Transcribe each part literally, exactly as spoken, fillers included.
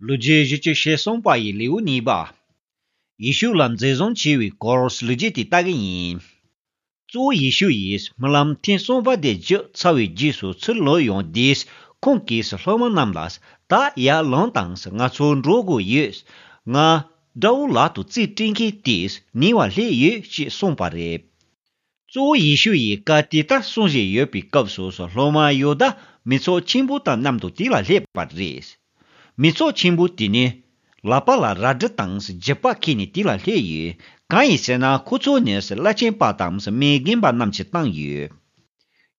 ལོ་རྒྱུས་བཞི་བཅུ་ཞེ་གསུམ་པ་ཡི་ལེའུ་གཉིས་པ། ཡེ་ཤུ་ལ་འཛིན་བཟུང་བྱས་པའི་སྐོར་ལོ་རྒྱུས་དེ་ལྟ་གི་ཡིན། གཙོ་བོ་ཡེ་ཤུ་ཡིས་སྨོན་ལམ་ཐེངས་གསུམ་པ་དེ་བརྗོད་ཚར་བའི་རྗེས་སུ་ཚུར་ལོག་ཡོང་དུས། ཁོང་གིས་སློབ་མ་རྣམས་ལ། ད་ཡར་ལངས་དང་། ང་ཚོ་འགྲོ་དགོས་ཡོད། ང་དགྲ་བོ་ལག་ཏུ་རྩིས་སྤྲད་མཁན་དེས་ཉེ་བར་སླེབས་ཡོད་ཅེས་གསུངས་པ་རེད། གཙོ་བོ་ཡེ་ཤུ་ཡིས་བཀའ་དེ་ལྟར་གསུང་བཞིན་ཡོད་པའི་སྐབས་སུ། སློབ་མ་ཡོ་དཱ་མི་ཚོགས་ཆེན་པོ་དང་མཉམ་དུ་དེ་ལ་སླེབས་པ་རེད། མི་ཚོགས་ཆེན་པོ་དེ་ནི་ལག་པ་ལ་རལ་གྲི་དང་རྒྱུག་པ་འཁྱེར་ནས་དེ་ལ་སླེབས་ཡོད། གང་ཡིན་ཟེར་ན། ཁོ་ཚོ་ནི་བླ་ཆེན་པ་དང་མི་རྒན་པ་རྣམས་ཀྱིས་བཏང་ཡོད།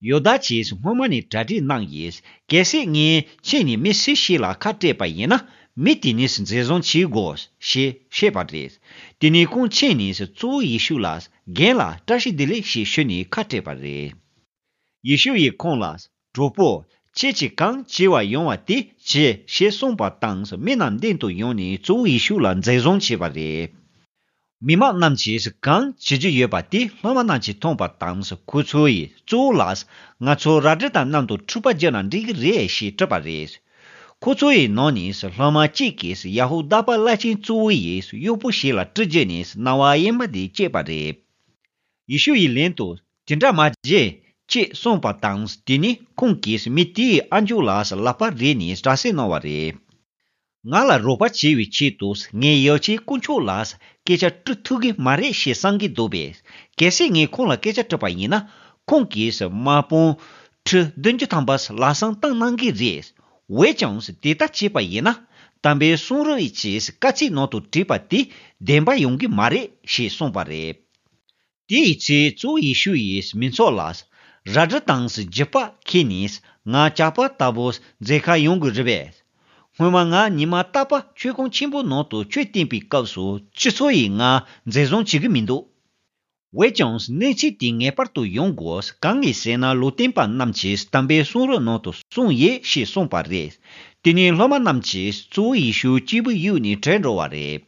ཡོ་དཱ་གྱིས་སྔོན་མ་ནས་གྲ་སྒྲིག་གནང་ཡོད། གལ་སྲིད་ངས་ཕྱིན་ནས་མི་སུ་ཞིག་ལ་ཁ་སྤྲད་པ་ཡིན་ན། མི་དེ་ནི་འཛིན་བཟུང་བྱེད་དགོས་ཞེས་བཤད་པ་རེད། དེ་ནས་ཁོང་ཕྱིན་ནས་གཙོ་བོ་ཡེ་ཤུ་ལ། རྒན་ལགས། བཀྲ་ཤིས་བདེ་ལེགས་ཞེས་ཞུས་ནས་ཁ་སྤྲད་པ་རེད། ཡེ་ཤུ་ཡིས་ཁོང་ལ། གྲོགས་པོ། ཁྱེད་ཀྱིས་གང་བྱེད་པར་ཡོང་བ་དེ་བྱེད་ཅེས་གསུངས་པ་དང་། མི་རྣམས་མདུན་དུ་ཡོང་ནས་གཙོ་བོ་ཡེ་ཤུ་ལ་འཛིན་བཟུང་བྱས་པ་རེད། མི་མང་རྣམས་ཀྱིས་གང་བྱེད་རྒྱུ་ཡོད་པ་དེ་སློབ་མ་རྣམས་ཀྱིས་མཐོང་པ་དང་། ཁོ་ཚོ་ཡིས་གཙོ་བོ་ལ། ང་ཚོ་རལ་གྲི་དང་མཉམ་དུ་འཁྲུག་པ་བརྒྱབ་ན་འགྲིག་གི་རེད་ཞེས་དྲིས་པ་རེད། ཁོ་ཚོ་ཡི་ནང་ནས་སློབ་མ་གཅིག་གིས་ཡ་ཧུ་དཱ་པ་བླ་ཆེན་གཙོ་བོ་ཡི་གཡོག་པོ་ཞིག་ལ་གྲི་བརྒྱབ་ནས་རྣ་བ་གཡས་པ་དེ་བཅད་པ་རེད། ཡེ་ཤུ་ཡིས་ལན་དུ། དེ་འདྲ་མ་བྱེད་ཅེས་གསུངས་པ་དང་། དེ་ནས་ཁོང་གིས་མི་དེའི་ཨ་མཆོག་ལ་ལག་པ་རེག་ནས་དྲག་སྐྱེད་གནང་བ་རེད། ང་ལ་རོགས་པ་བྱེད་པའི་ཆེད་དུ་ངས་ཡོ་ཆེན་དཀོན་མཆོག་ལ་སྐད་ཆ་དྲི་ཐུབ་ཀྱི་མ་རེད་ཞེས་བསམ་གྱི་འདུག་པས། གལ་སྲིད་ངས་ཁོང་ལ་སྐད་ཆ་དྲིས་པ་ཡིན་ན། ཁོང་གིས་དམག་དཔུང་ཁྲི་བདུན་ཅུ་ཐམ་པ་ལམ་སང་བཏང་གནང་གི་རེད། འོན་ཀྱང་དེ་ལྟར་བྱས་པ་ཡིན་ན། དམ་པའི་གསུང་རབ་ཀྱི་བཀའ་ཚིག་ནང་དུ་བྲིས་པ་དེ་བདེན་པ་ཡོང་གི་མ་རེད་ཞེས་གསུངས་པ་རེད། དེའི་ཚེ་གཙོ་བོ་ཡེ་ཤུ་ཡིས་མི་ཚོགས་ལ། རལ་གྲི་དང་རྒྱུག་པ་འཁྱེར་ནས་ང་ཇག་པ་ལྟ་བུ་འཛིན་གར་ཡོང་གི་རེད་པས། སྔོན་མ་ང་ཉི་མ་རྟག་པར་མཆོད་ཁང་ཆེན་པོའི་ནང་དུ་ཆོས་བསྟན་པའི་སྐབས་སུ་སྤྱི་ཚོགས་ཡིས་ང་འཛིན་བཟུང་བྱེད་ཀྱི་མི་འདུག་འོན་ཀྱང་གནས་ཚུལ་དེ་ངེས་པར་དུ་ཡོང་དགོས། གང་ཡིན་ཟེར་ན། ལུང་སྟོན་པ་རྣམས་ཀྱིས་དམ་པའི་གསུང་རབ་ནང་དུ་གསུངས་ཡོད་ཞེས་གསུངས་པ་རེད། དེ་ནས་སློབ་མ་རྣམས་ཀྱིས་གཙོ་བོ་ཡེ་ཤུ་གཅིག་པུ་གཡུགས་ནས་བྲོས་འགྲོ་བ་རེད།